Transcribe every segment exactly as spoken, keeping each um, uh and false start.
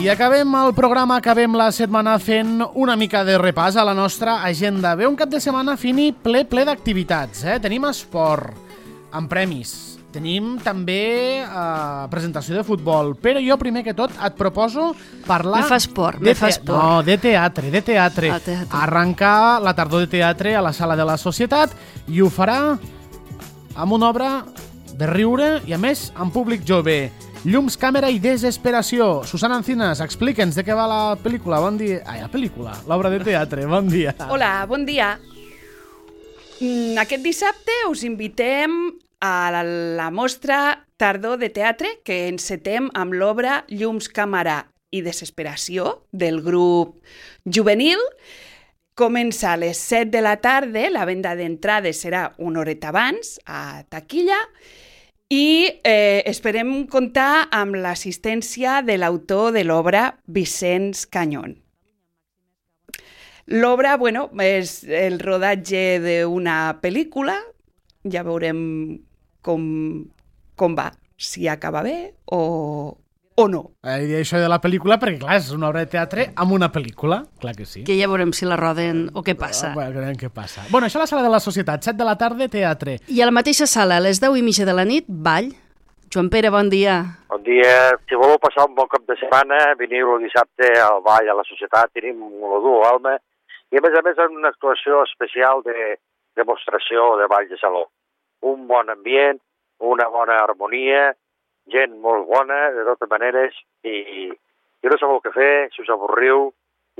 I acabem el programa, acabem la setmana fent una mica de repàs a la nostra agenda. Ve un cap de setmana, Fini, ple, ple d'activitats. Eh? Tenim esport, amb premis. Tenim també eh, presentació de futbol. Però jo, primer que tot, et proposo parlar... Me fa esport, de me fa te... esport. No, de teatre, de teatre. Ah, teatre. Arrencar la tardor de teatre a la Sala de la Societat i ho farà amb una obra de riure i, a més, amb públic jove. Llums, càmera i desesperació. Susana Encinas, explica'ns de què va la pel·lícula. Bon dia. Ai, la pel·lícula, l'obra de teatre. Bon dia. Hola, bon dia. Mm, Aquest dissabte us invitem a la, la mostra Tardor de Teatre, que encetem amb l'obra Llums, càmera i desesperació del grup juvenil. Comença a les set de la tarda, la venda d'entrades serà una horeta abans, a taquilla, i eh, esperem comptar amb l'assistència de l'autor de l'obra, Vicenç Cañón. L'obra, bueno, és el rodatge d'una pel·lícula, ja veurem com, com va, si acaba bé o, o no. Eh, I això de la pel·lícula, perquè clar, és una obra de teatre amb una pel·lícula, clar que sí. Que ja veurem si la roden o què passa. Bueno, veurem què passa. Bueno, això a la Sala de la Societat, set de la tarda, teatre. I a la mateixa sala, a les deu i mitja de la nit, ball. Joan Pere, bon dia. Bon dia. Si voleu passar un bon cap de setmana, veniu el dissabte al ball a la Societat, tenim un dur alma, i a més a més una actuació especial de demostració de ball de saló. Un bon ambient, una bona harmonia, gent molt bona, de totes maneres, i, i no sabeu què fer, si us avorriu,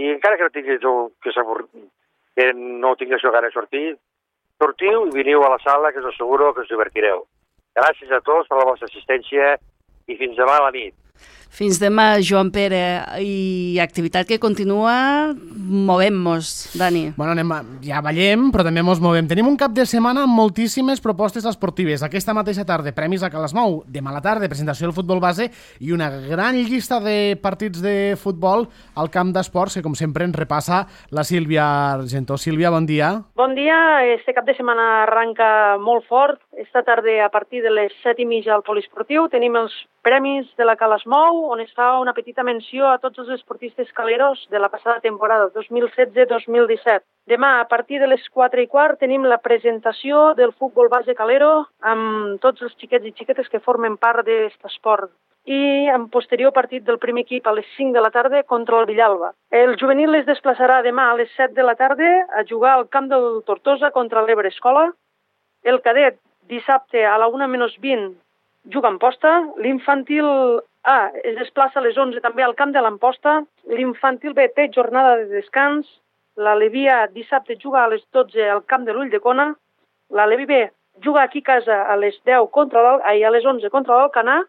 i encara que no tinguis que, que no tinguéssiu ganes de sortir, sortiu i veniu a la sala, que us asseguro que us divertireu. Gràcies a tots per la vostra assistència i fins demà a la nit. Fins demà, Joan Pere. I activitat que continua, movem-nos, Dani. Bueno, anem a... ja ballem, però també mos movem. Tenim un cap de setmana amb moltíssimes propostes esportives. Aquesta mateixa tarda, premis a Calasmou. Demà a la tarda, presentació del futbol base i una gran llista de partits de futbol al camp d'esports, que com sempre ens repassa la Sílvia Argentó. Sílvia, bon dia. Bon dia. Este cap de setmana arranca molt fort. Esta tarda, a partir de les set i mitja al poliesportiu, tenim els premis de la Calasmou, on es fa una petita menció a tots els esportistes caleros de la passada temporada, dos mil setze dos mil disset. Demà, a partir de les quatre i quart, tenim la presentació del futbol base calero amb tots els xiquets i xiquetes que formen part d'aquest esport. I en posterior partit del primer equip a les cinc de la tarda contra el Villalba. El juvenil es desplaçarà demà a les set de la tarda a jugar al camp del Tortosa contra l'Ebre Escola. El cadet, dissabte a la una menys vint, juga a Amposta. L'infantil A es desplaça a les onze també al camp de l'Amposta. L'infantil B té jornada de descans. La Levi A dissabte juga a les dotze al camp de l'Ulldecona. La Levi B juga aquí a casa a les deu contra l'Al... ai, a les onze contra l'Alcanar.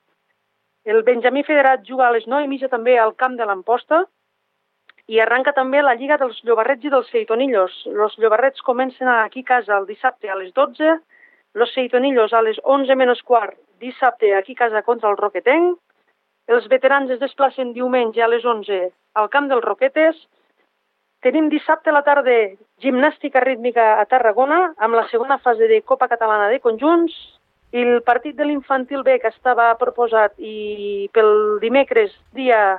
El Benjamí Federat juga a les nou i mitja també al camp de l'Amposta. I arranca també la Lliga dels Llobarrets i dels Seitonillos. Els Llobarrets comencen aquí a casa el dissabte a les dotze. Los Seitonillos a les onze menys quart, dissabte aquí a casa contra el Roquetenc. Els veterans es desplacen diumenge a les onze al camp dels Roquetes. Tenim dissabte a la tarda gimnàstica rítmica a Tarragona amb la segona fase de Copa Catalana de Conjunts. I el partit de l'infantil B, que estava proposat i pel dimecres dia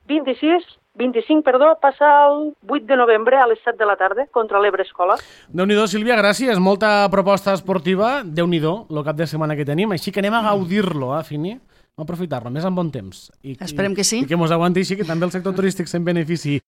vint-i-sis, vint-i-cinc, perdó, passa el vuit de novembre a les set de la tarda contra l'Ebre Escola. Déu-n'hi-do, Sílvia, gràcies. Molta proposta esportiva. Déu-n'hi-do, el cap de setmana que tenim. Així que anem a gaudir-lo, eh, Fini? A aprofitar-lo, més en bon temps. I, Esperem que sí. I que mos aguanti així, que també el sector turístic se'n benefici.